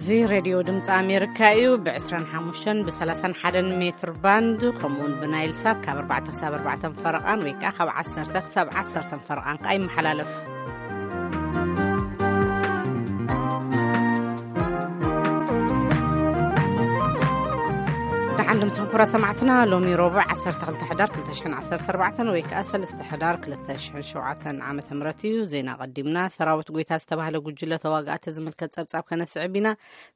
እዚ ሬድዮ ድምፂ ኣሜሪካ እዩ። ብ25ን ብ31 ሜትር ባንድ፣ ከምኡውን ብናይል ሳት ካብ ኣርባዕተ ክሳብ ኣርባዕተ ፈረቓን፣ ወይ ከዓ ካብ ዓሰርተ ክሳብ ዓሰርተ ፈረቓን ከዓ ይመሓላለፍ። ደሓን ድምፅኩም ኩራ ሰማዕትና። ሎሚ ረቡዕ ዓሰርተ ክልተ ሕዳር ክልተ ሽሕን ዓሰርተ ኣርባዕተን ወይ ከዓ ሰለስተ ሕዳር ክልተ ሽሕን ሸውዓተን ዓመተ ምህረት እዩ። ዜና ቀዲምና። ሰራዊት ጎይታ ዝተባህለ ጉጅለ ተዋጋእቲ ዝምልከት ጸብጻብ ከነስዕብ ኢና።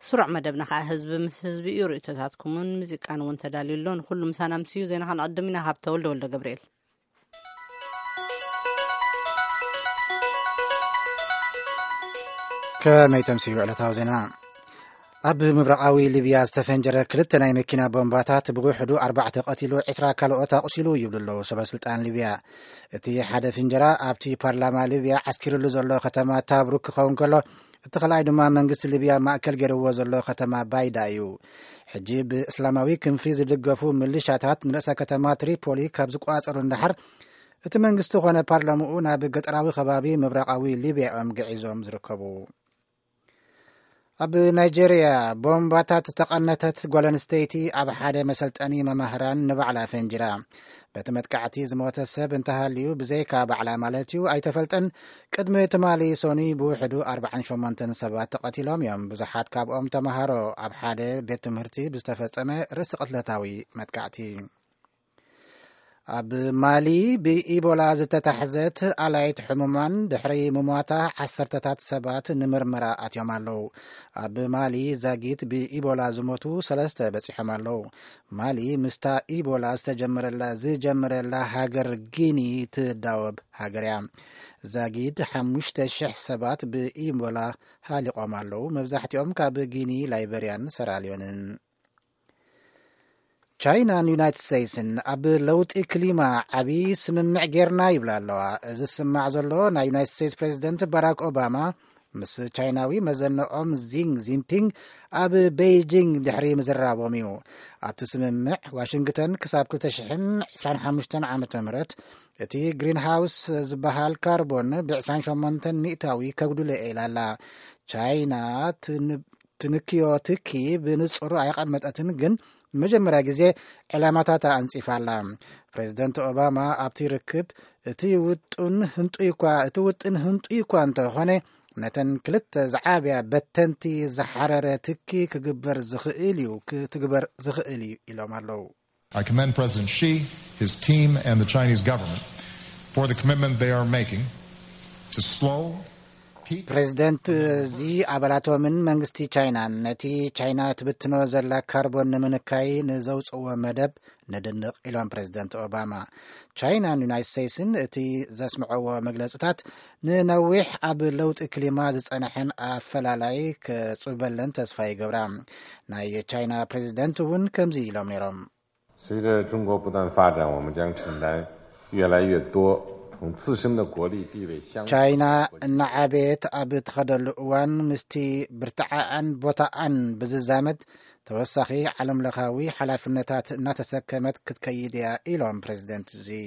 ስሩዕ መደብና ከዓ ህዝቢ ምስ ህዝቢ እዩ። ርእይቶታትኩምን ሙዚቃን እውን ተዳልዩ ኣሎ። ንኩሉ ምሳና ምስ እዩ። ዜና ከነቐድም ኢና። ካብ ተወልደ ወልደ ገብርኤል። ከመይ ተምስዩ ዕለታዊ ዜና? ኣብ ምብራቓዊ ሊብያ ዝተፈንጀረ ክልተ ናይ መኪና ቦምባታት ብውሕዱ ኣርባዕተ ቀቲሉ፣ ዕስራ ካልኦት ኣቑሲሉ ይብሉ ኣለዉ ሰበ ስልጣን ሊብያ። እቲ ሓደ ፍንጀራ ኣብቲ ፓርላማ ሊብያ ዓስኪርሉ ዘሎ ከተማ ታብሩክ ክኸውን ከሎ፣ እቲ ካልኣይ ድማ መንግስቲ ሊብያ ማእከል ገይርዎ ዘሎ ከተማ ባይዳ እዩ። ሕጂ ብእስላማዊ ክንፊ ዝድገፉ ምልሻታት ንርእሰ ከተማ ትሪፖሊ ካብ ዝቆጻጸሩ እንዳሓር፣ እቲ መንግስቲ ኮነ ፓርላምኡ ናብ ገጠራዊ ከባቢ ምብራቓዊ ሊብያ እዮም ግዒዞም ዝርከቡ። ኣብ ናይጄርያ ቦምባታት ዝተቐነተት ጓል ኣንስተይቲ ኣብ ሓደ መሰልጠኒ መማህራን ንባዕላ ፈንጂራ። በቲ መጥቃዕቲ ዝሞተ ሰብ እንተሃልዩ፣ ብዘይካ ባዕላ ማለት እዩ፣ ኣይተፈልጠን። ቅድሚ ትማሊ ሶኒ ብውሕዱ ኣርባዓን ሸሞንተን ሰባት ተቐቲሎም እዮም። ብዙሓት ካብኦም ተማሃሮ፣ ኣብ ሓደ ቤት ትምህርቲ ብዝተፈጸመ ርእሲ ቅትለታዊ መጥቃዕቲ። ኣብ ማሊ ብኢቦላ ዝተታሕዘት ኣላይት ሕሙማን ድሕሪ ምሟታ ዓሰርተታት ሰባት ንምርመራ ኣትዮም ኣለዉ። ኣብ ማሊ ዛጊት ብኢቦላ ዝሞቱ ሰለስተ በጺሖም ኣለዉ። ማሊ ምስታ ኢቦላ ዝተጀመረላ፣ ዝጀመረላ ሃገር ጊኒ ትዳወብ ሃገር እያ። ዛጊት ሓሙሽተ ሽሕ ሰባት ብኢቦላ ሃሊቖም ኣለዉ። መብዛሕትኦም ካብ ጊኒ፣ ላይበርያን ሰራልዮንን። ቻይናን ዩናይትድ ስቴትስን ኣብ ለውጢ ክሊማ ዓቢ ስምምዕ ጌርና ይብላ ኣለዋ። እዚ ዝስማዕ ዘሎ ናይ ዩናይትድ ስቴትስ ፕሬዚደንት ባራክ ኦባማ ምስ ቻይናዊ መዘነኦም ዚንግ ዚንፒንግ ኣብ ቤይጂንግ ድሕሪ ምዝራቦም እዩ። ኣብቲ ስምምዕ ዋሽንግተን ክሳብ ክልተ ሽሕን ዕስራን ሓሙሽተን ዓመተ ምህረት እቲ ግሪንሃውስ ዝበሃል ካርቦን ብ28 ሚእታዊ ከጉድሎ እየ ኢላ ኣላ። ቻይና ትን-፣ ትንክዮ ትኪ ብንጹር ኣየቐመጠትን፣ ግን ንመጀመርያ ግዜ ዕላማታታ ኣንጺፋ ኣላ። ፕሬዚደንት ኦባማ ኣብቲ ርክብ፣ እቲ ውጥን ህንጡይ እኳ፣ እቲ ውጥን ህንጡይ እኳ እንተኾነ፣ ነተን ክልተ ዝዓብያ በተንቲ ዝሓረረ ትኪ ክግበር ዝኽእል እዩ፣ ክትግበር ዝኽእል እዩ ኢሎም ኣለዉ። I commend President Xi, his team, and the Chinese government for the commitment they are making to slow peak ፕሬዚደንት ዚ ኣባላቶምን መንግስቲ ቻይናን ነቲ ቻይና ትብትኖ ዘላ ካርቦን ንምንካይ ንዘውፅዎ መደብ ነድንቕ ኢሎም ፕሬዚደንት ኦባማ። ቻይናን ዩናይትድ ስቴትስን እቲ ዘስምዐዎ መግለፅታት ንነዊሕ ኣብ ለውጢ ክሊማ ዝፀንሐን ኣፈላላይ ከፅበለን ተስፋ ይገብራ። ናይ ቻይና ፕሬዚደንት እውን ከምዚ ኢሎም ነይሮም። 随着中国不断发展，我们将承担越来越多从自身的国力、地位、相 ቻይና እናዓበየት ኣብ ትኸደሉ እዋን፣ ምስቲ ብርትዓኣን ቦታኣን ብዝዛመድ ተወሳኺ ዓለምለኻዊ ሓላፍነታት እናተሰከመት ክትከይድ እያ ኢሎም ፕሬዚደንት ዚ።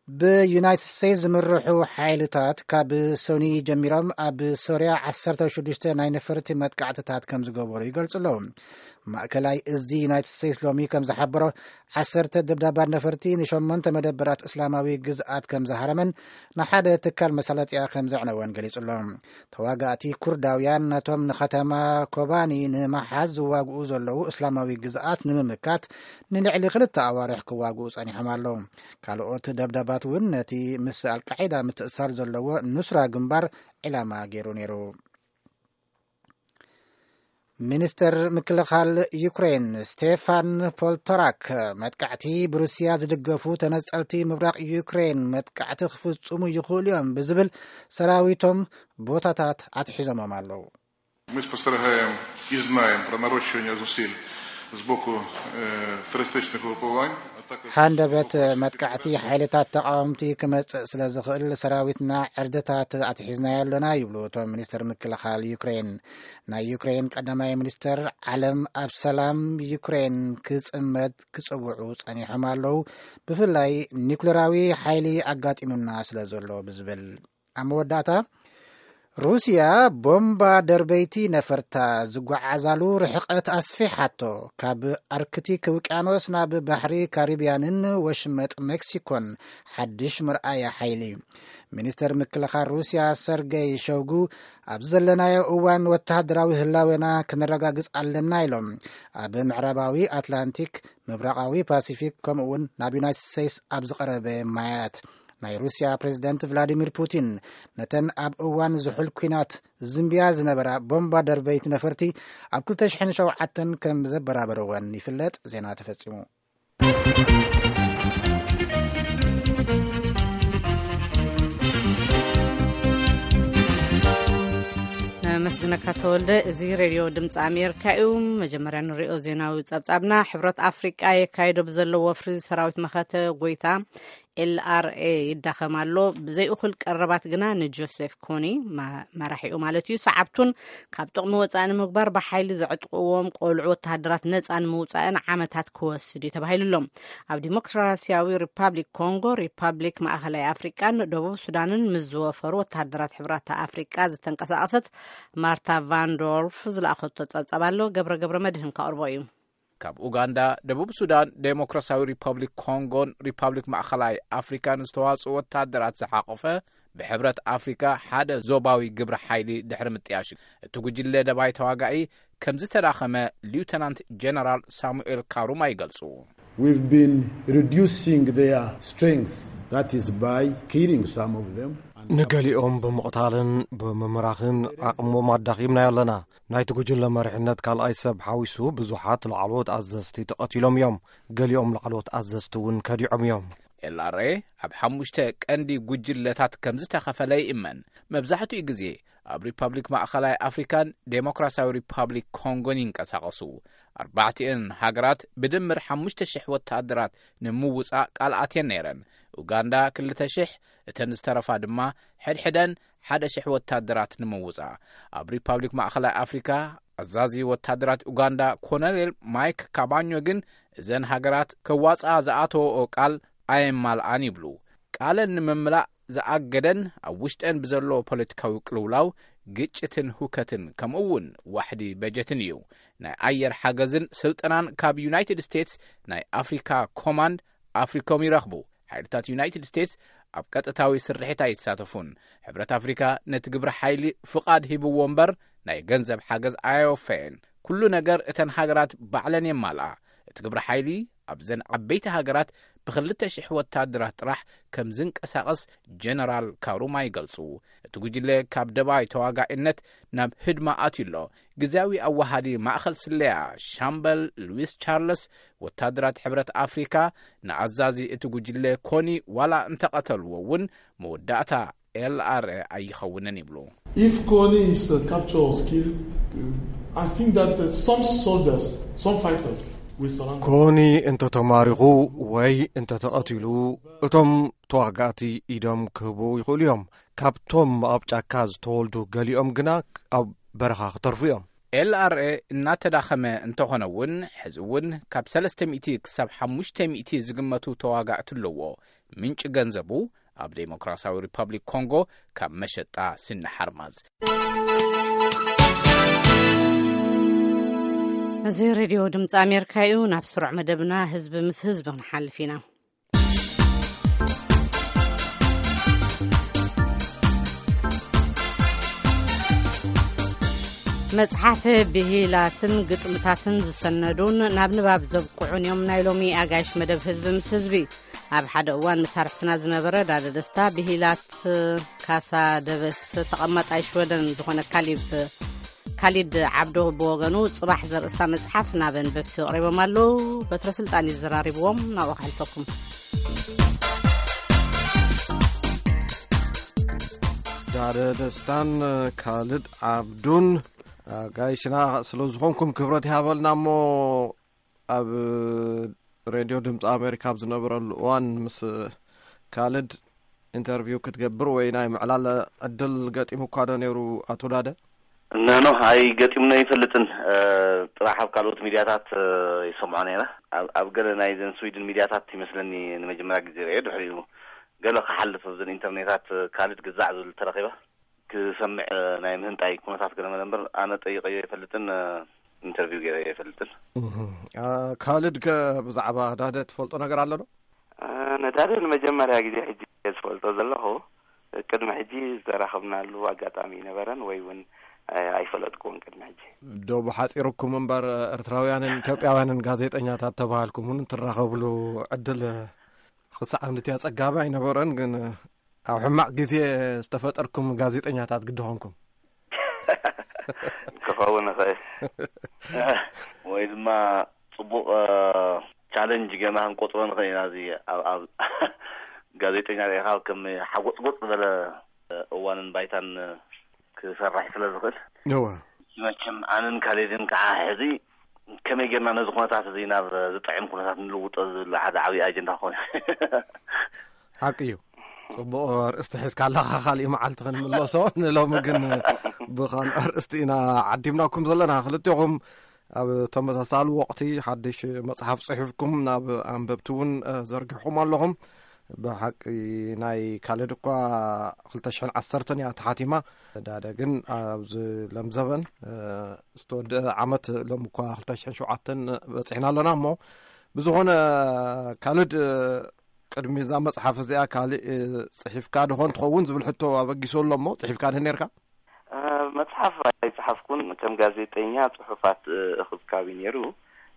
ብዩናይትድ ስቴትስ ዝምርሑ ሓይልታት ካብ ሶኒ ጀሚሮም ኣብ ሶርያ ዓሰርተ ሽዱሽተ ናይ ነፈርቲ መጥቃዕትታት ከም ዝገበሩ ይገልጹ ኣለዉ። ማእከላይ እዚ ዩናይትድ ስቴትስ ሎሚ ከም ዝሓበሮ፣ ዓሰርተ ደብዳባት ነፈርቲ ንሸሞንተ መደበራት እስላማዊ ግዝኣት ከም ዝሃረመን ንሓደ ትካል መሳለጥያ ከም ዘዕነወን ገሊጹ ኣሎ። ተዋጋእቲ ኩርዳውያን ነቶም ንኸተማ ኮባኒ ንምሓዝ ዝዋግኡ ዘለዉ እስላማዊ ግዝኣት ንምምካት ንልዕሊ ክልተ ኣዋርሕ ክዋግኡ ጸኒሖም ኣለዉ። ካልኦት ደብዳባት እውን ነቲ ምስ ኣልቃዒዳ ምትእሳር ዘለዎ ኑስራ ግንባር ዒላማ ገይሩ ነይሩ። ሚኒስተር ምክልኻል ዩክሬን ስቴፋን ፖልቶራክ፣ መጥቃዕቲ ብሩስያ ዝድገፉ ተነጸልቲ ምብራቕ ዩክሬን መጥቃዕቲ ክፍጽሙ ይኽእሉ እዮም ብዝብል፣ ሰራዊቶም ቦታታት ኣትሒዞሞም ኣለዉ። Мы спостерігаємо і знаємо про нарощування зусиль з боку е, терористичних угрупувань, а також ሃንደበት መጥቃዕቲ ሓይልታት ተቓወምቲ ክመጽእ ስለ ዝኽእል፣ ሰራዊትና ዕርድታት ኣትሒዝናዮ ኣለና ይብሉ እቶም ሚኒስተር ምክልኻል ዩክሬን። ናይ ዩክሬን ቀዳማይ ሚኒስተር ዓለም ኣብ ሰላም ዩክሬን ክጽመድ ክጽውዑ ጸኒሖም ኣለዉ፣ ብፍላይ ኒኩሌራዊ ሓይሊ ኣጋጢሙና ስለ ዘሎ ብዝብል። ኣብ መወዳእታ፣ ሩስያ ቦምባ ደርበይቲ ነፈርታ ዝጓዓዛሉ ርሕቀት ኣስፊሓቶ፣ ካብ ኣርክቲክ ውቅያኖስ ናብ ባሕሪ ካሪብያንን ወሽመጥ ሜክሲኮን ሓድሽ መርኣያ ሓይሊ። ሚኒስተር ምክልኻል ሩስያ ሰርገይ ሸውጉ፣ ኣብ ዘለናዮ እዋን ወተሃደራዊ ህላዌና ክነረጋግጽ ኣለና ኢሎም። ኣብ ምዕራባዊ ኣትላንቲክ፣ ምብራቓዊ ፓሲፊክ፣ ከምኡ እውን ናብ ዩናይትድ ስቴትስ ኣብ ዝቐረበ ማያት፣ ናይ ሩስያ ፕሬዝደንት ቭላዲሚር ፑቲን፣ ነተን ኣብ እዋን ዝሑል ኲናት ዝንብያ ዝነበራ ቦምባ ደርበይቲ ነፈርቲ ኣብ ክልተ ሽሕን ሸውዓተን ከም ዘበራበርወን ይፍለጥ። ዜና ተፈጺሙ። ነመስግነካ ተወልደ። እዚ ሬድዮ ድምፂ ኣሜሪካ እዩ። መጀመርያ ንሪኦ ዜናዊ ጸብጻብና። ሕብረት ኣፍሪቃ የካይዶ ብዘሎ ወፍሪ ሰራዊት መኸተ ጎይታ ኤልኣርኤ ይዳኸም ኣሎ። ብዘይእኹል ቀረባት ግና ንጆሴፍ ኮኒ ማ-፣ መራሒኡ ማለት እዩ፣ ሰዓብቱን ካብ ጥቕሚ ወፃኢ ንምግባር ብሓይሊ ዘዕጥቕዎም ቆልዑ ወተሃደራት ነፃ ንምውፃእን ዓመታት ክወስድ እዩ ተባሂሉ ኣሎ። ኣብ ዲሞክራሲያዊ ሪፓብሊክ ኮንጎ፣ ሪፓብሊክ ማእኸላይ ኣፍሪቃን ደቡብ ሱዳንን ምስ ዝወፈሩ ወተሃደራት ሕብራት ኣፍሪቃ ዝተንቀሳቐሰት ማርታ ቫንዶርፍ ዝለኣኸቶ ጸብጻብ ኣሎ። ገብረ ገብረ መድህን ከቕርቦ እዩ። ካብ ኡጋንዳ፣ ደቡብ ሱዳን፣ ዴሞክራሲያዊ ሪፐብሊክ ኮንጎን ሪፐብሊክ ማእኸላይ ኣፍሪካን ዝተዋጽኡ ወታደራት ዝሓቖፈ ብሕብረት ኣፍሪካ ሓደ ዞባዊ ግብረ ሓይሊ ድሕሪ ምጥያሽ፣ እቲ ጉጅለ ደባይ ተዋጋኢ ከም ዝተዳኸመ ሊውተናንት ጀነራል ሳሙኤል ካሩማ ይገልጹ። We've been reducing their strength, that is by killing some of them. ንገሊኦም ብምቕታልን ብምምራኽን ዓቕሞም ኣዳኺምናዮ ኣለና። ናይቲ ጉጅለ መሪሕነት ካልኣይ ሰብ ሓዊሱ ብዙሓት ላዕለዎት ኣዘዝቲ ተቐቲሎም እዮም። ገሊኦም ላዕለዎት ኣዘዝቲ እውን ከዲዖም እዮም። ኤልኣርኤ ኣብ ሓሙሽተ ቀንዲ ጉጅለታት ከም ዝተኸፈለ ይእመን። መብዛሕትኡ ግዜ ኣብ ሪፐብሊክ ማእኸላይ ኣፍሪካን ዴሞክራሲያዊ ሪፐብሊክ ኮንጎን ይንቀሳቐሱ። ኣርባዕቲኤን ሃገራት ብድምር ሓሙሽተ ሽሕ ወተሃደራት ንምውጻእ ቃል ኣትየን ነይረን። ኡጋንዳ ክልተ ሽሕ፣ እተን ዝተረፋ ድማ ሕድሕደን ሓደ ሽሕ ወታደራት ንምውጻእ። ኣብ ሪፓብሊክ ማእኸላይ ኣፍሪካ፣ ኣዛዚ ወታደራት ኡጋንዳ ኮሎኔል ማይክ ካባኞ ግን፣ እዘን ሃገራት ከዋጽኣ ዝኣተወኦ ቃል ኣየማልኣን ይብሉ። ቃለን ንምምላእ ዝኣገደን ኣብ ውሽጠን ብዘሎ ፖለቲካዊ ቅልውላው፣ ግጭትን ሁከትን፣ ከምኡ እውን ዋሕዲ በጀትን እዩ። ናይ ኣየር ሓገዝን ስልጠናን ካብ ዩናይትድ ስቴትስ ናይ ኣፍሪካ ኮማንድ ኣፍሪኮም ይረኽቡ። ሓይልታት ዩናይትድ ስቴትስ ኣብ ቀጥታዊ ስርሒት ኣይሳተፉን። ሕብረት ኣፍሪካ ነቲ ግብረ ሓይሊ ፍቓድ ሂብዎ እምበር፣ ናይ ገንዘብ ሓገዝ ኣየወፈየን። ኩሉ ነገር እተን ሃገራት ባዕለን የማልኣ። እቲ ግብረ ሓይሊ ኣብዘን ዓበይቲ ሃገራት ብክልተ ሽሕ ወታደራት ጥራሕ ከም ዝንቀሳቐስ ጀነራል ካሩማ ይገልጹ። እቲ ጉጅለ ካብ ደባይ ተዋጋኢነት ናብ ህድማ ኣትዩ ኣሎ። ግዝያዊ ኣዋሃዲ ማእኸል ስለያ ሻምበል ሉዊስ ቻርለስ፣ ወታደራት ሕብረት ኣፍሪካ ንኣዛዚ እቲ ጉጅለ ኮኒ ዋላ እንተቐተልዎ እውን፣ መወዳእታ ኤልኣርኤ ኣይኸውንን ይብሉ። If Kony is uh, captured or killed, uh, I think that uh, some soldiers, some fighters will surrender. ኮኒ እንተተማሪኹ ወይ እንተተቐቲሉ፣ እቶም ተዋጋእቲ ኢዶም ክህቡ ይኽእሉ እዮም። ካብቶም ኣብ ጫካ ዝተወልዱ ገሊኦም ግና ኣብ በረኻ ክተርፉ እዮም። ኤልኣርኤ እናተዳኸመ እንተኾነ እውን፣ ሕዚ እውን ካብ ሰለስተ ሚእቲ ክሳብ ሓሙሽተ ሚእቲ ዝግመቱ ተዋጋእቲ ኣለዎ። ምንጪ ገንዘቡ ኣብ ዴሞክራሲያዊ ሪፐብሊክ ኮንጎ ካብ መሸጣ ስኒ ሓርማዝ። እዚ ሬድዮ ድምፂ ኣሜሪካ እዩ። ናብ ስሩዕ መደብና ህዝቢ ምስ ህዝቢ ክንሓልፍ ኢና። መጽሓፍ ብሂላትን ግጥምታትን ዝሰነዱን ናብ ንባብ ዘብቅዑን እዮም ናይ ሎሚ ኣጋይሽ መደብ ህዝቢ ምስ ህዝቢ። ኣብ ሓደ እዋን መሳርሕትና ዝነበረ ዳደ ደስታ፣ ብሂላት ካሳ ደበስ ተቐማጣይ ሽወደን ዝኾነ ካሊብ፣ ካሊድ ዓብዶ ብወገኑ፣ ጽባሕ ዘርእስታ መጽሓፍ ናብ ኣንበብቲ ኣቕሪቦም ኣለዉ። በትረ ስልጣን እዩ ዘራሪብዎም። ናብኡ ከሕልፈኩም። ዳደ ደስታን ካልድ ዓብዱን ኣጋይሽና ስለ ዝኾንኩም ክብረት ይሃበልና። እሞ ኣብ ሬድዮ ድምፂ ኣሜሪካ ኣብ ዝነበረሉ እዋን ምስ ካልድ ኢንተርቪው ክትገብር ወይ ናይ ምዕላል ዕድል ገጢሙ እኳ ዶ ነይሩ? ኣቶ ዳደ? እነኖ፣ ኣይገጢሙና ኣይፈልጥን። እ፣ ጥራሕ ኣብ ካልኦት ሚድያታት፣ እ፣ ይሰምዖ ነይረ። ኣብ፣ ኣብ ገለ ናይ ዘን ስዊድን ሚድያታት ይመስለኒ ንመጀመርያ ግዜ ርእየ። ድሕሪኡ ገለ ክሓልፍ ኣብዘን ኢንተርኔታት፣ እ፣ ካልድ ግዛዕ ዝብል ተረኺበ። ክሰምዕ ናይ ምህንጣይ ኩነታት ገለ መለ እምበር፣ ኣነ ጠይቀዮ ኣይፈልጥን፣ ኢንተርቪው ገይረ ኣይፈልጥን። እህ። አ፣ ካልድ ከ ብዛዕባ ዳደ ትፈልጦ ነገር ኣሎ ዶ? እ፣ ነዳዲ ንመጀመርያ ግዜ ሕጂ እየ ዝፈልጦ ዘለኹ። ቅድሚ ሕጂ ዝተራኸብናሉ ኣጋጣሚ ኣይነበረን ወይ እውን፣ እ፣ ኣይፈለጥኩዎን ቅድሚ ሕጂ። ዶ ብሓጺርኩም እምበር ኤርትራውያንን ኢትዮጵያውያንን ጋዜጠኛታት ተባሃልኩም እውን ትራኸብሉ ዕድል ክሳዕ ክንድቲ ኣጸጋሚ ኣይነበረን፣ ግን ኣብ ሕማቕ ግዜ ዝተፈጠርኩም ጋዜጠኛታት ግዲ ኾንኩም። ክኸውን ይኽእል። ወይ ድማ ጽቡቕ፣ እ፣ ቻለንጅ ጌርና ክንቆጽሮ ንኽእል ኢና። እዚ ኣብ፣ ኣብ ጋዜጠኛ ርኢኻ ከም ሓጎጽጎጽ ዝበለ እዋንን ባይታን ክሰርሕ ስለ ዝኽእል። እወ። መቸም ኣነን ካሌድን ከዓ ሕዚ ከመይ ጌርና ነዚ ኩነታት እዚ ናብ ዝጥዕም ኩነታት ንልውጦ ዝብል ሓደ ዓብዪ ኣጀንዳ ክኾን። ሓቂ እዩ። ጽቡቕ ኣርእስቲ ሒዝካ ኣለኻ። ካሊእ መዓልቲ ክንምለሶ፣ ንሎሚ ግን ብኻልእ ኣርእስቲ ኢና ዓዲምናኩም ዘለና። ክልቴኹም ኣብ ተመሳሳሊ ወቕቲ ሓድሽ መጽሓፍ ጽሒፍኩም ናብ ኣንበብቲ እውን፣ እ፣ ዘርጊሕኩም ኣለኹም። ብሓቂ ናይ ካልድ እኳ ክልተ ሽሕን ዓሰርተን እያ ተሓቲማ። ዳደ ግን ኣብዚ ለምዘበን፣ እ፣ ዝተወደአ ዓመት ሎም እኳ ክልተ ሽሕን ሸውዓተን በጺሕና ኣለና እሞ፣ ብዝኾነ ካልድ፣ እ፣ ቅድሚ እዛ መጽሓፍ እዚኣ ካልእ፣ እ፣ ጽሒፍካ ድኾን ትኸውን ዝብል ሕቶ ኣበጊሱ ኣሎ እሞ፣ ጽሒፍካ ድህ ነርካ? እ፣ መጽሓፍ ኣይጸሓፍኩን። ከም ጋዜጠኛ ጽሑፋት፣ እ፣ እኽብካብ እዩ ነይሩ።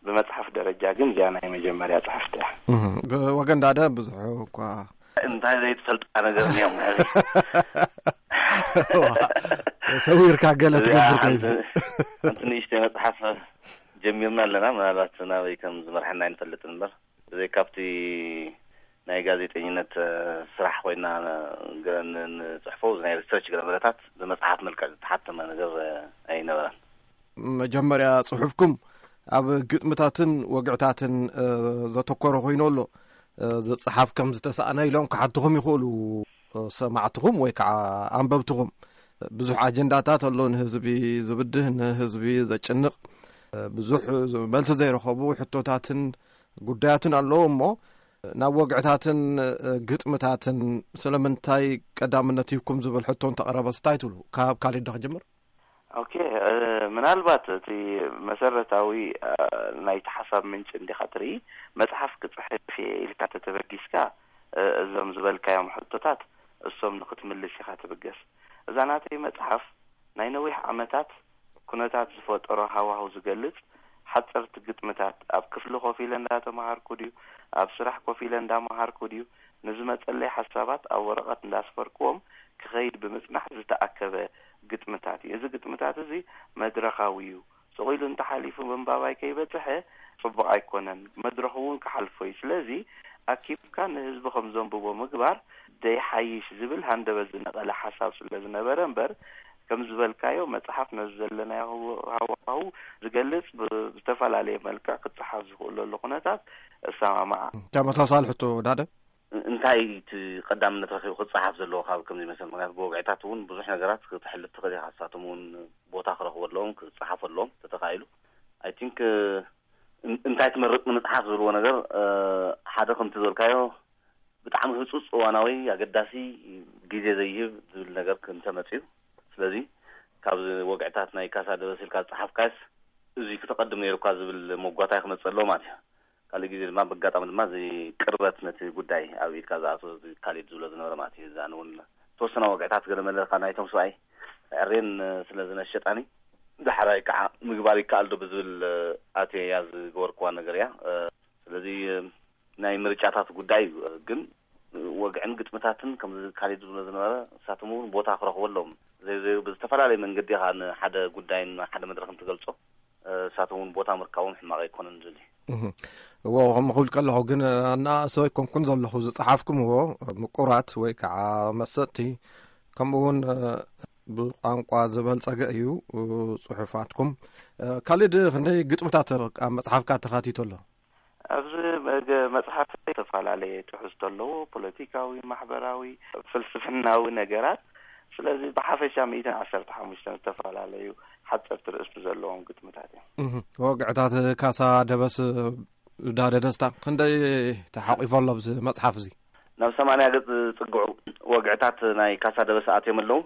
ብመጽሓፍ ደረጃ ግን እዚኣ ናይ መጀመርያ ጽሕፍቲ እያ። እህ፣ ብወገን ዳደ ብዙሕ እኳ እንታይ ዘይትፈልጣ ነገር እኒኦም። ዋ፣ ተሰዊርካ ገለ እዚኣ ትገብር ሓንቲ፣ ከይሲ። ሓንቲ ንእሽተይ መጽሓፍ ጀሚርና ኣለና። ምናልባት ናበይ ከም ዝመርሐና ኣይንፈልጥን እምበር፣ ብዘይ ካብቲ ናይ ጋዜጠኝነት፣ እ፣ ስራሕ ኮይና፣ እ፣ ገ-፣ ን-፣ ንጽሕፎ ናይ ሪሰርች ገለ መለታት ብመጽሓፍ መልክዕ ዝተሓተመ ነገር፣ እ፣ ኣይነበረን። መጀመርያ ጽሑፍኩም ኣብ ግጥምታትን ወግዕታትን፣ እ፣ ዘተኮረ ኮይኑ ኣሎ። እ፣ ዝጸሓፍ ከም ዝተሳእነ ኢሎም ክሓትኹም ይኽእሉ፣ እ፣ ሰማዕትኹም ወይ ከዓ ኣንበብትኹም። ብዙሕ ኣጀንዳታት ኣሎ፣ ንህዝቢ ዝብድህ፣ ንህዝቢ ዘጭንቕ፣ እ፣ ብዙሕ መልሲ ዘይረኸቡ ሕቶታትን ጉዳያትን ኣለዉ እሞ፣ ናብ ወግዕታትን፣ እ፣ ግጥምታትን ስለምንታይ ቀዳምነት ሂብኩም ዝብል ሕቶ እንተቐረበ እንታይ ትብሉ? ካብ ካልድ ዶ ክጅምር? ኦኬ፣ እ፣ ምናልባት እቲ መሰረታዊ፣ እ፣ ናይቲ ሓሳብ ምንጪ እንዲኻ ትርኢ፣ መጽሓፍ ክጽሕፍ እየ ኢልካ እንተተበጊስካ፣ እ፣ እዞም ዝበልካዮም ሕቶታት እሶም ንኽትምልስ ኢኻ ትብገስ። እዛ ናተይ መጽሓፍ ናይ ነዊሕ ዓመታት ኩነታት ዝፈጠሮ ሃዋህው ዝገልጽ ሓጸርቲ ግጥምታት፣ ኣብ ክፍሊ ኮፍ ኢለ እንዳተማሃርኩ ድዩ፣ ኣብ ስራሕ ኮፍ ኢለ እንዳመሃርኩ ድዩ፣ ንዝመጸለይ ሓሳባት ኣብ ወረቐት እንዳስፈርኩዎም ክኸይድ ብምጽናሕ ዝተኣከበ ግጥምታት እዩ። እዚ ግጥምታት እዚ መድረኻዊ እዩ። ስቕ ኢሉ እንተሓሊፉ ምንባባይ ከይበጽሐ ጽቡቕ ኣይኮነን። መድረኹ እውን ክሓልፎ እዩ። ስለዚ ኣኪብካ ንህዝቢ ከም ዘንብቦ ምግባር ዘይሓይሽ ዝብል ሃንደበት ዝነቐለ ሓሳብ ስለ ዝነበረ እምበር፣ ከም ዝበልካዮ መጽሓፍ ነዚ ዘለናዮ ሃዋህው ዝገልጽ ብ-፣ ብዝተፈላለየ መልክዕ ክጸሓፍ ዝኽእለሉ ኩነታት እሰማማዓ። ተመሳሳሊ ሕቶ ዳደ? እንታይ እቲ ቀዳምነት ረኺቡ ክጸሓፍ ዘለዎ ካብ ከምዚ መሰል? ምኽንያቱ ብወግዕታት እውን ብዙሕ ነገራት ክትሕልፍ ትኽእል ኢኻ። ንሳቶም እውን ቦታ ክረኽቡ ኣለዎም፣ ክጸሓፉ ኣለዎም፣ ተተኻኢሉ። I think፣ እ፣ እን-፣ እንታይ ትመርጽ ንምጽሓፍ ዝብልዎ ነገር፣ እ፣ ሓደ ከምቲ ዝበልካዮ ብጣዕሚ ህጹጽ እዋናዊ ኣገዳሲ ግዜ ዘይህብ ዝብል ነገር እንተመጽዩ፣ ስለዚ ካብዚ ወግዕታት ናይ ካሳ ደበስ ኢልካ ዝጸሓፍካስ እዚ ክተቐድም ነይሩካ ዝብል መጓታይ ክመጽእ ኣለዎ ማለት እዩ። ካልእ ግዜ ድማ ብኣጋጣሚ ድማ እዚ ቅርበት ነቲ ጉዳይ ኣብ ኢድካ ዝኣትዎ እዚ ካሊድ ዝብሎ ዝነበረ ማለት እዩ። እዚ ኣነ እውን ተወሰነ ወግዕታት ገለ መለ ካብ ናይቶም ሰብኣይ ዕሬን ስለ ዝነሸጣኒ ዳሕራይ ከዓ ምግባር ይከኣል ዶ ብዝብል ኣትየ እያ ዝገበርክዋ ነገር እያ። ስለዚ ናይ ምርጫታት ጉዳይ እዩ። ግን ወግዕን ግጥምታትን ከምዚ ካሊድ ዝብሎ ዝነበረ ንሳቶም እውን ቦታ ክረኽቡ ኣለዎም። ዘይ ዘይ ብዝተፈላለየ መንገዲ ኢኻ ንሓደ ጉዳይን ሓደ መድረኽን ትገልጾ። ንሳቶም እውን ቦታ ምርካቦም ሕማቕ ኣይኮነን ዝብል እዩ። እህ። እዎ፣ ከምኡ ክብል ከለኹ ግን ኣናእሶ ኣይኮንኩን ዘለኹ ዝጸሓፍኩምዎ ምቁራት ወይ ከዓ መሰጥቲ፣ ከምኡ እውን፣ እ፣ ብቋንቋ ዝበልጸገ እዩ፣ እ፣ ጽሑፋትኩም። እ፣ ካሊድ ክንደይ ግጥምታት ኣብ መጽሓፍካ ተኻቲቱ ኣሎ? ኣብዚ መገ-፣ መጽሓፍ ዝተፈላለየ ትሕዝቶ ኣለዎ፣ ፖለቲካዊ፣ ማሕበራዊ፣ ፍልስፍናዊ ነገራት። ስለዚ ብሓፈሻ ሚእትን ዓሰርተ ሓሙሽተን ዝተፈላለዩ ሓጸርቲ ርእስቲ ዘለዎም ግጥምታት እዮም። እህ፣ ወግዕታት ካሳ ደበስ ዳደ ደስታ ክንደይ ተሓቂፉ ኣሎ ኣብዚ መጽሓፍ እዚ? ናብ ሰማንያ ገጽ ዝጽግዑ ወግዕታት ናይ ካሳ ደበስ ኣትዮም ኣለዉ።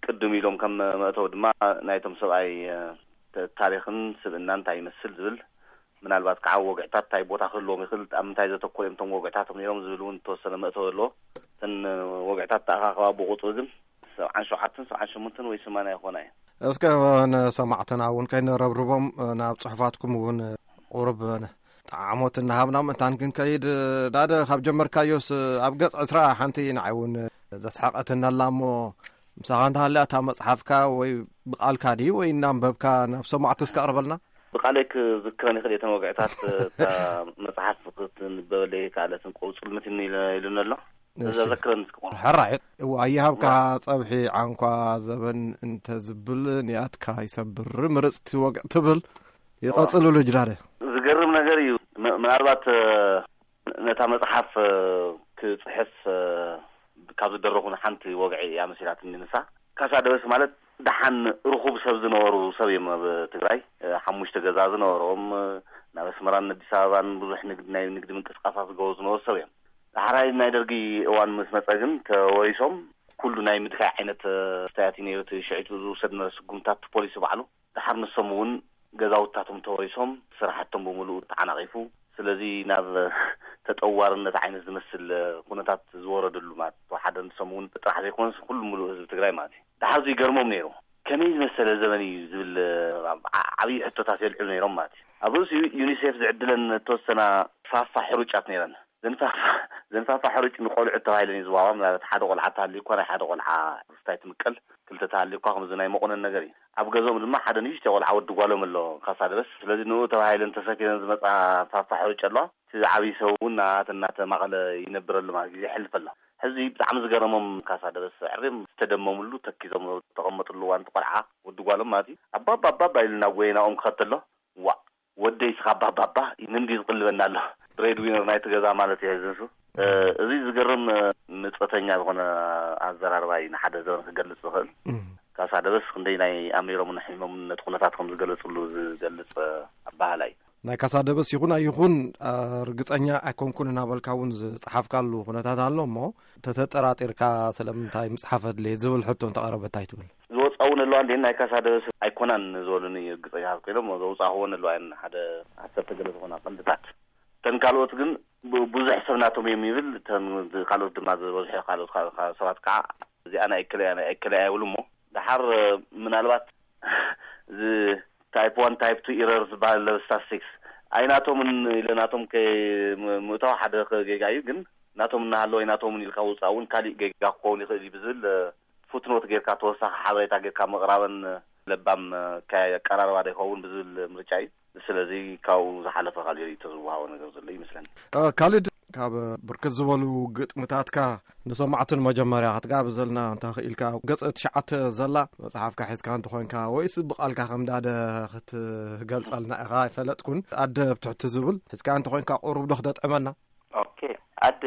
ቅድም ኢሎም ከም መእተዊ ድማ ናይቶም ሰብኣይ፣ እ፣ ተ-፣ ታሪኽን ስብእናን እንታይ ይመስል ዝብል፣ ምናልባት ከዓ ወግዕታት እንታይ ቦታ ክህልዎም ይኽእል፣ ኣብ ምንታይ ዘተኮሩ እዮም እቶም ወግዕታት እዮም ነይሮም ዝብል እውን ዝተወሰነ መእተዊ ኣለዎ። እተን ወግዕታት ተኣኻኸባ ብቑፅሪ ግን ሰብዓን ሸውዓተን፣ ሰብዓን ሸሞንተን ወይ ሰማንያ ይኾና እየን። እስከ ንሰማዕትና እውን ከይነረብርቦም ናብ ጽሑፋትኩም እውን ቁሩብ ጣዕሞት እናሃብና ምእንታን ክንከይድ፣ ዳደ ካብ ጀመርካዮስ ኣብ ገጽ ዕስራ ሓንቲ ንዓይ እውን ዘስሓቐትኒ ኣላ እሞ ምሳኻ እንተሃልያ እታ መጽሓፍካ ወይ ብቓልካ ድዩ ወይ እናንበብካ ናብ ሰማዕቲ እስከ ኣቕርበልና። ብቓለይ ክዝክረን ይኽእል እየ እተን ወግዕታት። እታ መጽሓፍ ክትንበበለይ ከኣለትን ቁሩብ ጽልምት ኢሉኒ ኣሎ። እሺ። ዘዘክረን እስኪ ቁሩብ። ሕራይ፣ እዋ፣ ኣይሃብካ ጸብሒ ዓንኳ ዘበን እንተ ዝብል ንያትካ ይሰብር ምርጽቲ ወግዕ ትብል። ይቐጽልሉ ጅዳደ። ዝገርም ነገር እዩ። ም-፣ ምናልባት፣ እ፣ ነታ መጽሓፍ፣ እ፣ ክጽሕፍ፣ እ፣ ካብ ዝደረኹ ሓንቲ ወግዒ እያ መሲላትኒ ንሳ። ካሳ ደበስ ማለት ደሓን ርኹብ ሰብ ዝነበሩ ሰብ እዮም ኣብ ትግራይ። እ፣ ሓሙሽተ ገዛ ዝነበሮም፣ እ፣ ናብ ኣስመራን ኣዲስ ኣበባን ብዙሕ ንግድ፣ ናይ ንግዲ ምንቅስቃሳት ዝገበሩ ዝነበሩ ሰብ እዮም። ዳሕራይ ናይ ደርጊ እዋን ምስ መጸ ግን ተወሪሶም ኩሉ ናይ ምድካይ ዓይነት፣ እ፣ ኣስተያየት እዩ ነይሩ። እቲ ሽዒቱ ዝውሰድ ነበረ ስጉምታት ፖሊሲ ባዕሉ። ደሓር ንሶም እውን ገዛውታቶም ተወሪሶም ስራሕቶም ብምሉኡ ተዓናቒፉ። ስለዚ ናብ ተጠዋርነት ዓይነት ዝመስል ኩነታት ዝወረደሉ ማለት እዩ። ሓደ ንሶም እውን ጥራሕ ዘይኮነስ ኩሉ ምሉእ ህዝቢ ትግራይ ማለት እዩ። ደሓር እዚ ይገርሞም ነይሩ። ከመይ ዝመሰለ ዘበን እዩ ዝብል ዓ-፣ ዓብዪ ሕቶታት የልዕሉ ነይሮም ማለት እዩ። ኣብ ርእሲኡ ዩኒሴፍ ዝዕድለን እተወሰና ፋፋ ሕሩጫት ነይረን። ዘንፋፋ፣ ዘንፋፋ ሕሩጭ ንቆልዑ ተባሂለን እዩ ዝዋባ። ምናልባት ሓደ ቆልዓ ተሃልዩ እኳ ናይ ሓደ ቆልዓ ርስታይ ትምቀል፣ ክልተ ተሃልዩ እኳ ከምዚ ናይ መቑነን ነገር እዩ። ኣብ ገዝኦም ድማ ሓደ ንእሽተይ ቆልዓ ወዲ ጓሎም ኣሎ ካሳ ደበስ። ስለዚ ንኡ ተባሂለን ተሰፊረን ዝመጻ ፋፋ ሕሩጭ ኣለዋ። እቲ ዝዓብይ ሰብ እውን ናተን እናተማቐለ ይነብረሉ ማለት ግዜ ይሕልፍ ኣሎ። ሕዚ ብጣዕሚ ዝገረሞም ካሳ ደበስ ዕሪም ዝተደመሙሉ ተኪዞም ተቐመጥሉ እዋን እቲ ቆልዓ ወዲ ጓሎም ማለት እዩ። ኣባባ ኣባባ ኢሉ እናጎየ ናብኦም ክኸድ ተሎ፣ ዋእ! ወደይ ስኻ ባባባ ንምንዲ ዝቕልበና ኣሎ። ብሬድ ዊነር ናይቲ ገዛ ማለት እዩ ሕዚ ንሱ። እ፣ እዚ ዝገርም፣ እ፣ ምጸተኛ ዝኾነ ኣዘራርባ እዩ ንሓደ ዘበን ክገልጽ ዝኽእል። እም። ካሳ ደበስ ክንደይ ናይ ኣሚሮምን ሕሚሞምን ነቲ ኩነታት ከም ዝገለጽሉ ዝገልጽ፣ እ፣ ኣበሃህላ እዩ። ናይ ካሳ ደበስ ይኹን ኣይኹን፣ እ፣ ርግጸኛ ኣይኮንኩን እናበልካ እውን ዝጸሓፍካሉ ኩነታት ኣሎ እሞ፣ ተተጠራጢርካ ስለምንታይ ምጽሓፍ ኣድለየ ዝብል ሕቶ እንተቐረበ እንታይ ትብል? ዝወጻ እውን ኣለዋ እንዴ ናይ ካሳ ደበስ ኣይኮናን ዝበሉኒ ርግጸኛታት ኮይኖም ዘውጻእኽዎ እውን ኣለዋ እየን ሓደ ዓሰርተ ገለ ዝኾና ቀንድታት። እተን ካልኦት ግን ብ-፣ ብዙሕ ሰብ ናቶም እዮም ይብል፣ እተን ካልኦት ድማ ዝበዝሑ ካልኦት ካ-፣ ካ-፣ ሰባት ከዓ እዚኣ ናይ እከለ እያ፣ ናይ እከለ እያ ይብሉ እሞ ደሓር ምናልባት እዚ ታይፕ ዋን ታይፕ ቱ ኢረር ዝበሃል ኣብ ስታትስቲክስ ኣይናቶምን ኢለ ናቶም ከ-፣ ም-፣ ምእታው ሓደ ጌጋ እዩ፣ ግን ናቶም እናሃለወ ኣይናቶምን ኢልካ ውፃእ እውን ካሊእ ጌጋ ክኸውን ይኽእል እዩ ብዝብል ፉትኖት ጌርካ ተወሳኺ ሓበሬታ ጌርካ ምቕራበን ለባም ኣቀራርባ ዶ ይኸውን ብዝብል ምርጫ እዩ። ስለዚ ካብኡ ዝሓለፈ ካልእ ርእይቶ ዝወሃቦ ነገር ዘሎ ይመስለኒ። እ፣ ካሊድ፣ ካብ ብርክት ዝበሉ ግጥምታትካ ንሰማዕትን መጀመርያ ክትጋብዘልና እንተኽኢልካ፣ ገጽ ትሽዓተ ዘላ መጽሓፍካ ሒዝካ እንተኾንካ ወይስ ብቓልካ ከም ዳደ ክትገልጸልና ኢኻ ኣይፈለጥኩን። ኣደ ኣብ ትሕቲ ዝብል ሒዝካ እንተኾንካ ቁሩብ ዶ ክተጥዕመና? ኦኬ፣ ኣደ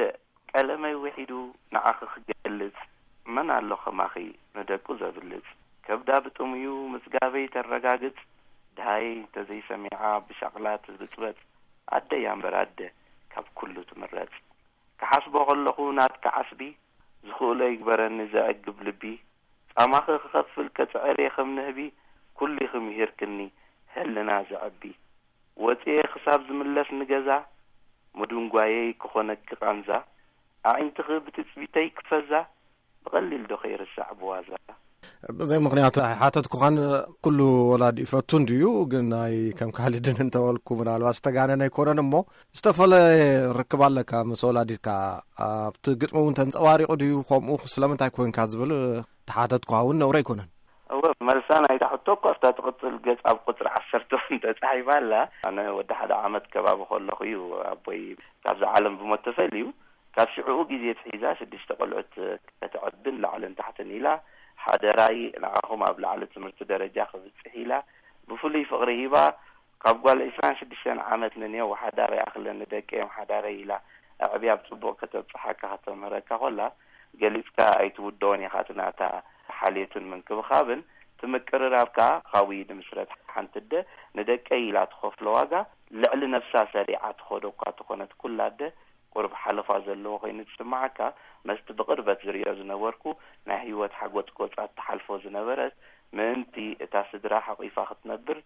ቀለመይ ውሒዱ ንዓኺ ክገልጽ፣ መን ኣሎ ከማኺ ንደቁ ዘብልጽ? ከብዳ ብጥሙዩ ምጽጋበይ ተረጋግጽ፣ ደሃይ እንተዘይሰሚዓ ብሻቕላ ትብጽበጽ፣ ኣደ እያ እምበር ኣደ ካብ ኩሉ ትምረጽ። ክሓስቦ ከለኹ ናትኪ ዓስቢ፣ ዝኽእሎ ይግበረኒ ዘዕግብ ልቢ፣ ጻማኺ ክኸፍል ከጽዕር እየ ከም ንህቢ፣ ኩሉ ኢኺ ምሂርክኒ ህልና ዘዕቢ። ወጺኤ ክሳብ ዝምለስ ንገዛ፣ ምድንጓየይ ክኾነኪ ቃንዛ፣ ኣዒንትኺ ብትጽቢተይ ክፈዛ፣ ብቐሊል ዶ ከይርሳዕ ብዋዛ? ብዘይ ምኽንያት ኣይሓተትኩኻን። ኩሉ ወላዲ ይፈቱ እንድዩ፣ ግን ናይ ከም ካልድን እንተበልኩ ምናልባት ዝተጋነነ ኣይኮነን እሞ፣ ዝተፈለየ ርክብ ኣለካ ምስ ወላዲትካ? ኣብቲ ግጥሚ እውን ተንጸባሪቑ ድዩ? ከምኡ ስለምንታይ ኮንካ ዝብል ተሓተትኩኻ እውን ነውሪ ኣይኮነን። እወ፣ መልሳ ናይታ ሕቶ እኮ ኣብታ ትቕጽል ገጽ ኣብ ቁጽሪ ዓሰርተ እውን ተጻሒፋ ኣላ። ኣነ ወዲ ሓደ ዓመት ከባቢ ከለኹ እዩ ኣቦይ ካብዛ ዓለም ብሞት ተፈልዩ። ካብ ሽዕኡ ግዜ ኣትሒዛ ሽዱሽተ ቆልዑት ከተዕብን ላዕልን ታሕትን ኢላ፣ ሓደራይ ንዓኹም ኣብ ላዕሊ ትምህርቲ ደረጃ ክብጽሕ ኢላ ብፍሉይ ፍቕሪ ሂባ፣ ካብ ጓል ዕስራን ሽዱሽተን ዓመት ንንየው ሓዳር ይኣኽለኒ ደቀይ እዮም ሓዳረይ ኢላ ኣዕብያ ኣብ ጽቡቕ ከተብጽሓካ ከተምህረካ ኮላ፣ ገሊጽካ ኣይትውድኦን ኢኻ እቲ ናታ ሓልዮትን ምንክብኻብን። እቲ ምቅርራብ ከኣ ካብኡ ይድምስረት። ሓንቲ ኣደ ንደቀይ ኢላ ትኸፍሎ ዋጋ ልዕሊ ነብሳ ሰሪዓ ትኸዶ እኳ ተኾነት፣ ኩላ ኣደ ቁርብ ሓለፋ ዘለዎ ኮይኑ ዝስምዓካ፣ መስቲ ብቕርበት ዝርእዮ ዝነበርኩ ናይ ህይወት ሓጎጽጎጻት ትሓልፎ ዝነበረት፣ ምእንቲ እታ ስድራ ሓቒፋ ክትነብር፣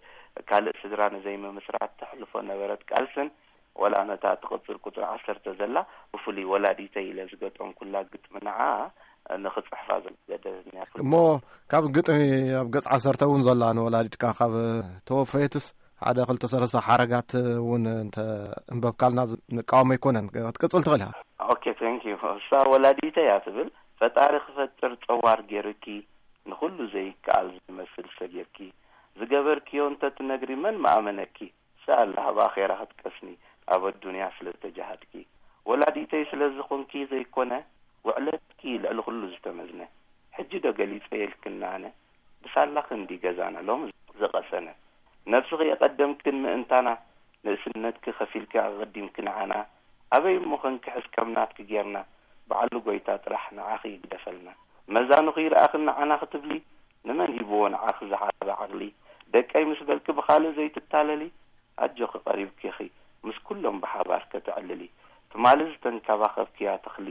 ካልእ ስድራ ንዘይምምስራት ተሕልፎ ነበረት ቃልስን፣ ወላ ነታ ትቕጽል ቁጽሪ ዓሰርተ ዘላ ብፍሉይ ወላዲተይ ኢለ ዝገጠምኩላ ግጥሚ ንዓኣ ንኽጽሕፋ ዘገደደትኒ እያ። እሞ ካብ ግጥሚ ኣብ ገጽ ዓሰርተ እውን ዘላ ንወላዲትካ ካብ ተወፈየትስ ሓደ ክልተ ሰለስተ ሓረጋት እውን እንተ እንበብካልና ዝ-፣ ንቃወም ኣይኮነን። ክትቅጽል ትኽእል ኢኻ። ኦኬ፣ ቴንክ ዩ። እሳ ወላዲተይ እያ ትብል፣ "ፈጣሪ ክፈጥር ጸዋር ገይርኪ፣ ንኹሉ ዘይከኣል ዝመስል ሰጊርኪ፣ ዝገበርክዮ እንተ ትነግሪ መን ምኣመነኪ?" ሰኣላ ኣብ ኣኼራ ክትቀስኒ ኣብ ኣዱንያ ስለ ዝተጃሃድኪ፣ ወላዲተይ ስለ ዝኾንኪ ዘይኮነ፣ ውዕለትኪ ልዕሊ ኩሉ ዝተመዝነ። ሕጂ ዶ ገሊጸ የልክን ኣነ፣ ብሳላኺ እንዲ ገዛና ሎም ዝቐሰነ። ነብስኺ የቐደምክን ምእንታና፣ ንእስነትኪ ከፊልኪ ኣቐዲምኪ ንዓና። ኣበይ እሞ ኸንክሕስ ከም ናትኪ ጌርና፣ በዓሉ ጎይታ ጥራሕ ንዓኺ ይግደፈልና። መዛኑኺ ይርኣኽን ንዓና ክትብሊ፣ ንመን ሂብዎ ንዓኺ ዝዓበ ዓቕሊ? ደቀይ ምስ በልኪ ብኻልእ ዘይትታለሊ፣ ኣጆኺ ቀሪብኪኺ ምስ ኩሎም ብሓባር ከተዕልሊ። ትማሊ ዝተንከባኸብክያ ተኽሊ፣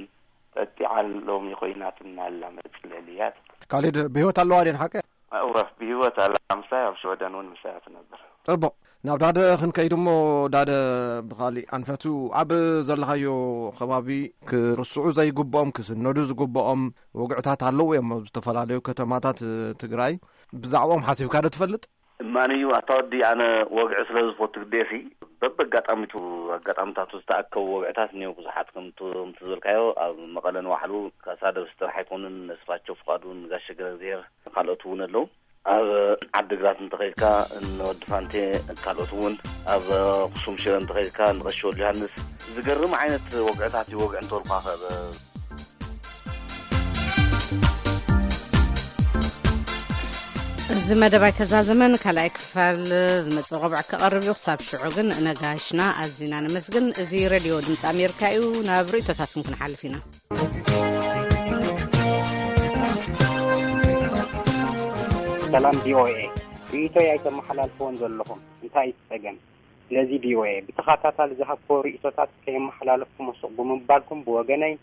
ጠጢዓ ሎሚ ኮይናትና ኣላ መጽለሊ እያ ትብል። ካሊድ ብህይወት ኣለዋ ድየን ሓቀ? እወ፣ ብህይወት ኣላ። ምሳይ ኣብ ሽወደን እውን ምሳያ ትነብር። ጽቡቕ። ናብ ዳደ ክንከይድ እሞ፣ ዳደ ብኻሊእ ኣንፈቱ ኣብ ዘለኻዮ ከባቢ ክርስዑ ዘይግብኦም ክስነዱ ዝግብኦም ወግዕታት ኣለዉ እዮም ኣብ ዝተፈላለዩ ከተማታት ትግራይ። ብዛዕባኦም ሓሲብካ ዶ ትፈልጥ? እማንዩ፣ ኣታ ወዲ፣ ኣነ ወግዒ ስለ ዝፈቱ ግዴሲ፣ በብኣጋጣሚቱ፣ ኣጋጣሚታቱ ዝተኣከቡ ወግዕታት እኒኦ ብዙሓት። ከምቲ፣ ከምቲ ዝበልካዮ፣ ኣብ መቐለ ንባዕሉ ካሳደብስ ጥራሕ ኣይኮኑን፣ ነስፋቸው ፍቓዱ፣ ንጋሽ ገብረእግዚኣብሄር፣ ካልኦት እውን ኣለዉ። ኣብ ዓዲግራት እንተኸይድካ፣ ንወዲ ፋንቴ፣ ካልኦት እውን፣ ኣብ ኣኽሱም ሽረ እንተኸይድካ፣ ንቐሺ ወልደ ዮሃንስ፣ ዝገርም ዓይነት ወግዕታት እዩ። ወግዒ እንተበልኳ፣ ከ-፣ እዚ መደብ ኣይተዛዘመን። ካልኣይ ክፋል ዝመጽእ ረቡዕ ክቐርብ እዩ። ክሳብ ሽዑ ግን ነጋሽና ኣዚና ነመስግን። እዚ ሬድዮ ድምፂ ኣሜሪካ እዩ። ናብ ርእይቶታትኩም ክንሓልፍ ኢና። ሰላም ቪ ኦ ኤ፣ ርእይቶይ ኣይተመሓላልፍዎን ዘለኹም። እንታይ እዩ ጸገም? ስለዚ ቪ ኦ ኤ ብተኸታታሊ ዝሃብክዎ ርእይቶታት ከየመሓላለፍኩሞ ስቕ ብምባልኩም፣ ብወገነይ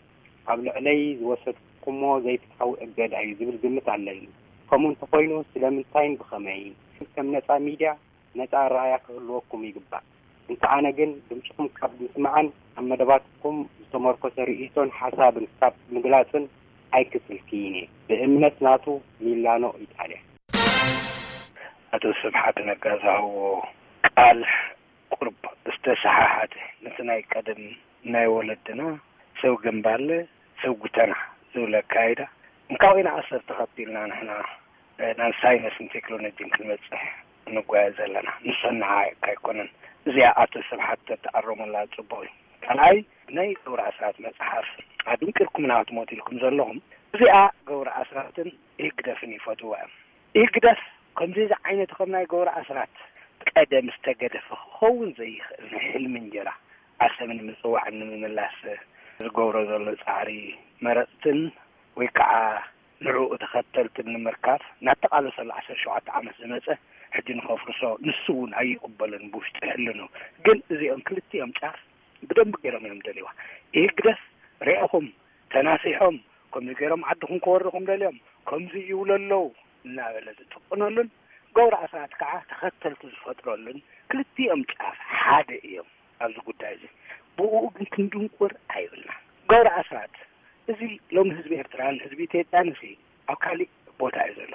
ኣብ ልዕለይ ዝወሰድኩሞ ዘይፍትሓዊ እገዳ እዩ ዝብል ግምት ኣለኒ። ከምኡ እንተኾይኑ ስለምንታይን ብኸመይን? ከም ነጻ ሚድያ ነጻ ኣረኣእያ ክህልወኩም ይግባእ። እንተ ኣነ ግን ድምጽኹም ካብ ምስማዕን ኣብ መደባትኩም ዝተመርኮሰ ርእይቶን ሓሳብን ካብ ምግላጽን ኣይክስልክይን እየ። ብእምነት ናቱ ሚላኖ ኢጣልያ። ኣቶ ስብሓት ነጋ ዝሃብዎ ቃል ቁርብ ዝተሰሓሓተ፣ ነቲ ናይ ቀደም ናይ ወለድና ሰብ ግንባለ፣ ሰብ ጉተና ዝብል ኣካይዳ፣ እንካብ ኢና ኣሰር ተኸቲልና ንሕና፣ እ፣ ናብ ሳይንስን ቴክኖሎጂን ክንበጽሕ እንጓየ ዘለና። ንሱ ንዓይ ኣይኮነን። እዚኣ ኣቶ ስብሓት ተተኣረሙላ ጽቡቕ እዩ። ካልኣይ፣ ናይ ገብረ ኣስራት መጽሓፍ ኣድንቂርኩምና ክትሞቱ ኢልኩም ዘለኹም፣ እዚኣ ገብረ ኣስራትን ህግደፍን ይፈትዋ እዮም። ይግደፍ፣ ከምዚ ዓይነት ከም ናይ ገብረ ኣስራት ቀደም ዝተገደፈ ክኸውን ዘይኽእል ናይ ሕልሚ እንጀራ ዓሰብ ንምጽዋዕን ንምምላስ ዝገብሮ ዘሎ ጻዕሪ፣ መረጽትን ወይ ከዓ ንዕኡ ተኸተልትን ንምርካብ እናተቓለሰሉ ዓሰርተ ሸውዓተ ዓመት ዝመጸ፣ ሕጂ ንኸፍርሶ ንሱ እውን ኣይቕበልን ብውሽጢ ሕልኑ። ግን እዚኦም ክልቲኦም ጫፍ ብደንቢ ገይሮም እዮም ደልይዋ። ይህግደፍ ርኢኹም ተናሲሖም፣ ከምዚ ገይሮም ዓድኹም ከወርኹም ደልዮም፣ ከምዚ ይብሉ ኣለዉ እናበለ ዝጥቕነሉን፣ ገብረ ኣስራት ከዓ ተኸተልቲ ዝፈጥረሉን፣ ክልቲኦም ጫፍ ሓደ እዮም ኣብዚ ጉዳይ እዚ። ብእኡ ግን ክንድንቁር ኣይብልና። ገብረ ኣስራት እዚ ሎሚ ህዝቢ ኤርትራን ህዝቢ ኢትዮጵያን እዚ ኣብ ካሊእ ቦታ እዩ ዘሎ።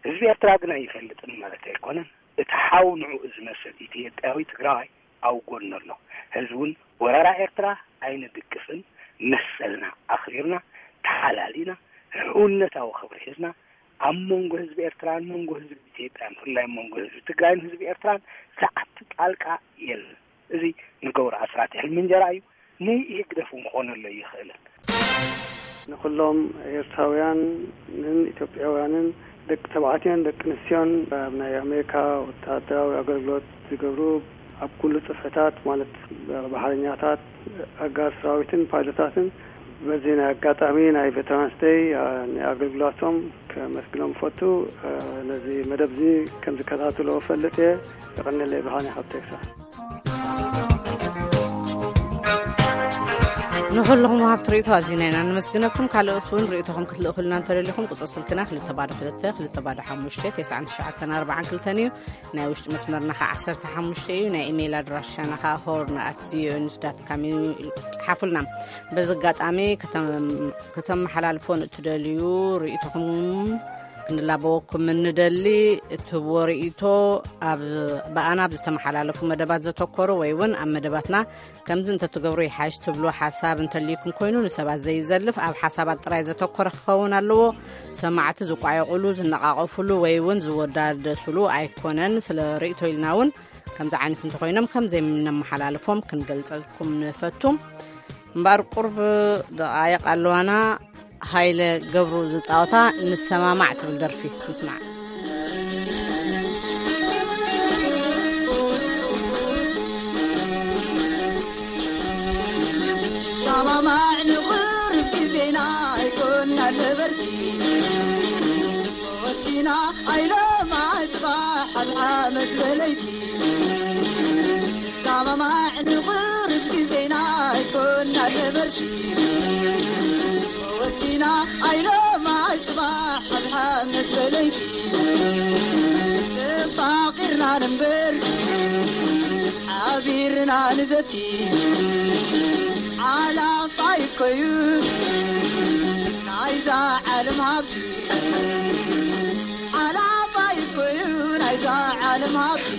ህዝቢ ኤርትራ ግን ኣይፈልጥን ማለት ኣይኮነን። እቲ ሓው ንዕኡ ዝመስል ኢትዮጵያዊ ትግራዋይ ኣብ ጎኑ ኣሎ። ህዝቢ እውን ወረራ ኤርትራ ኣይንድግፍን፣ መሰልና ኣኽቢርና፣ ተሓላሊና፣ ሕውነታዊ ክብሪ ሒዝና፣ ኣብ መንጎ ህዝቢ ኤርትራን መንጎ ህዝቢ ኢትዮጵያን፣ ብፍላይ ኣብ መንጎ ህዝቢ ትግራይን ህዝቢ ኤርትራን ዝኣቱ ጣልቃ የለን። እዚ ንገብሩ ኣስራት ሕልሚ እንጀራ እዩ፣ ንኢህግደፍ እውን ክኾነሉ ኣይኽእልን። ንኹሎም ኤርትራውያንን ኢትዮጵያውያንን ደቂ ተባዕትዮን ደቂ ኣንስትዮን ኣብ ናይ ኣሜሪካ ወታደራዊ ኣገልግሎት ዝገብሩ፣ ኣብ ኩሉ ጽፍሕታት ማለት ባሕረኛታት፣ ኣጋር ሰራዊትን ፓይሎታትን በዚ ናይ ኣጋጣሚ ናይ ቬተራንስ ደይ፣ አ፣ ንኣገልግሎቶም ከመስግኖም እፈቱ። አ፣ ነዚ መደብ እዚ ከም ዝከታተሎ እፈልጥ እየ። የቐንየለይ። ብርሃነ ካብ ቴክሳስ። ንኹልኹም ወሃብቲ ርእይቶ ኣዚና ኢና ነመስግነኩም። ካልኦት እውን ርእይቶኹም ክትልእኹልና እንተደሊኹም፣ ቁጽሪ ስልክና ክልተ ባዶ ክልተ፣ ክልተ ባዶ ሓሙሽተ፣ ተስዓን ትሽዓተን ኣርባዓን ክልተን እዩ። ናይ ውሽጢ መስመርና ኸዓ ዓሰርተ ሓሙሽተ እዩ። ናይ ኢሜይል ኣድራሻና ኸዓ ሆርን ኣት ቪኦኤ ኒውስ ዳት ካም እዩ። ጽሓፉልና። በዚ ኣጋጣሚ ከተም-፣ ከተመሓላልፎ ንእትደልዩ ርእይቶኹም ክንላበወኩም እንደሊ። እትህብዎ ርእይቶ ኣብ፣ ብኣና ኣብ ዝተመሓላለፉ መደባት ዘተኮሩ ወይ እውን ኣብ መደባትና ከምዚ እንተትገብሩ ይሓይሽ ትብሉ ሓሳብ እንተልይኩም ኮይኑ፣ ንሰባት ዘይዘልፍ ኣብ ሓሳባት ጥራይ ዘተኮረ ክኸውን ኣለዎ። ሰማዕቲ ዝቋየቑሉ፣ ዝነቓቐፉሉ ወይ እውን ዝወዳደሱሉ ኣይኮነን። ስለ ርእይቶ ኢልና እውን ከምዚ ዓይነት እንተኾይኖም ከም ዘይምነመሓላልፎም ክንገልጸልኩም ንፈቱ። እምበኣር ቁርብ ደቓይቕ ኣለዋና። ሃይለ ገብሩ ዝጻወታ ንሰማማዕ ትብል ደርፊ ንስማዕ። ሰማማዕ ንቕርብ ግዜና ኣይኮና ነበርቲ ወሲና ኣይለማ ጽባሕ ኣብ ዓመት በለይቲ ሰማማዕ ንቕርብ ግዜና ኣይኮና ነበርቲ ወሲና ኣይለማ ጽባሕ ኣብ ዓመት በለይቲ ተፋቒርና ንንበር ሓቢርና ንዘቲ ሓላፋይ እኮዩ ናይዛ ዓለም ሃብቲ ሓላፋይ እኮዩ ናይዛ ዓለም ሃብቲ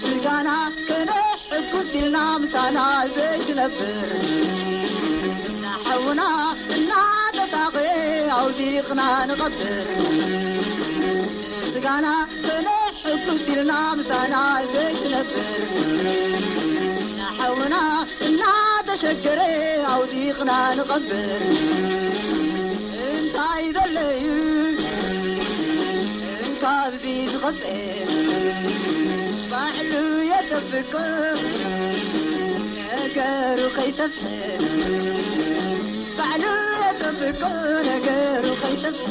ስጋና ከነሕጉስ ኢልና ምሳና ዘይትነብር ንሓውና እናተሳቐየ ኣውዲቕና ንቐብር ስጋና ከነሕጉስ ኢልና ምሳና ዘይትነብር ንሓውና እናተሸገረ ኣውዲቕና ንቐብር እንታይ ዘለዩ እንካብዚ ዝቐጽዕ ባዕሉ የጠብቅ ነገሩ ከይሰፍሕ ባዕሉ የጠብቅ ነገሩ ከይሰፍሕ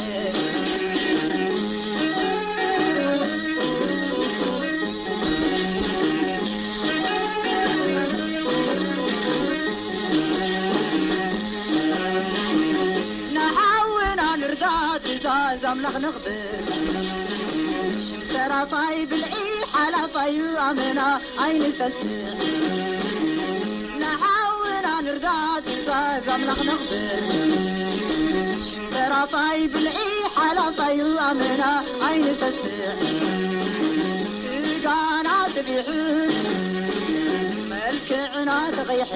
ንሓውና ንርዳ ትእዛዝ ኣምላኽ ነኽብር ሽም ተራፋይ ብልዒ ሓላፋዩ ኣመና ኣይንሰስዕ ንሓውና ንርዳ ትእዛዝ ኣምላኽ ነኽብር ሽም ተራፋይ ብልዒ ሓላፋዩ ኣመና ኣይንሰስዕ ስጋና ጥቢሑ መልክዕና ተቐይሐ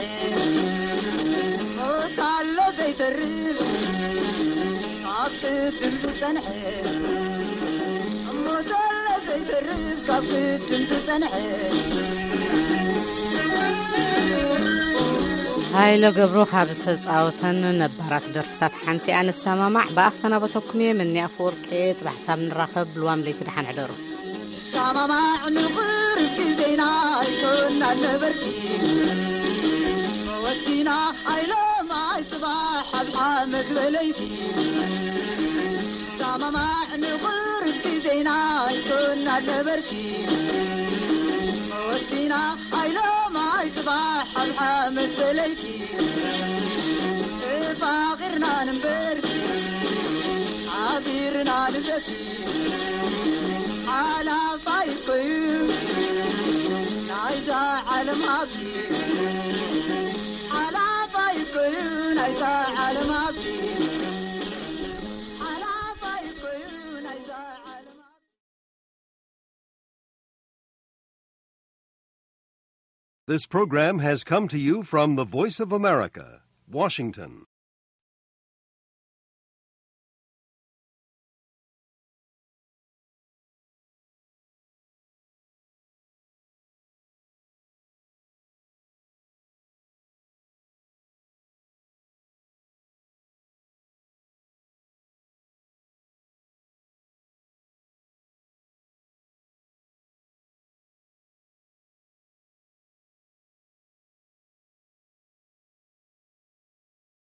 ሞት ኣሎ ዘይተርፍ ካብ ቅድም ዝጸንሐ ሞት ኣሎ ዘይተርፍ ካብ ቅድም ዝጸንሐ ሃይለ ገብሩ ካብ ዝተጻወተን ነባራት ደርፍታት ሓንቲ ኣነሰማማዕ ብኣኽሰናበተኩም እየ። መኒ ኣፈወርቂ፣ ጽባሕ ሳብ ንራኸብ። ልዋም ለይቲ ደሓን ሕደሩ። ሰማማዕ ንቕርብ ግዜና ኣይኮና ነበርቲ ወዲና ኣይለማይ ጽባሕ ኣብ ሓመድ በለይቲ ሰማማዕ ንቕርብ ግዜና ኣይኮና ነበርቲ ወዲና ኣይለማይ ጽባሕ ኣብ ሓመድ በለይቲ ተፋቒርና ንንበር ሓቢርና ንዘቲ ሓላፋይ እኮዩ ናይዛ ዓለም ሃብቲ ሓላፋይ እኮዩ ናይዛ ዓለም ሃብቲ ሓላፋይ እኮዩ ናይዛ ዓለም ሃብቲ This program has come to you from the Voice of America, Washington.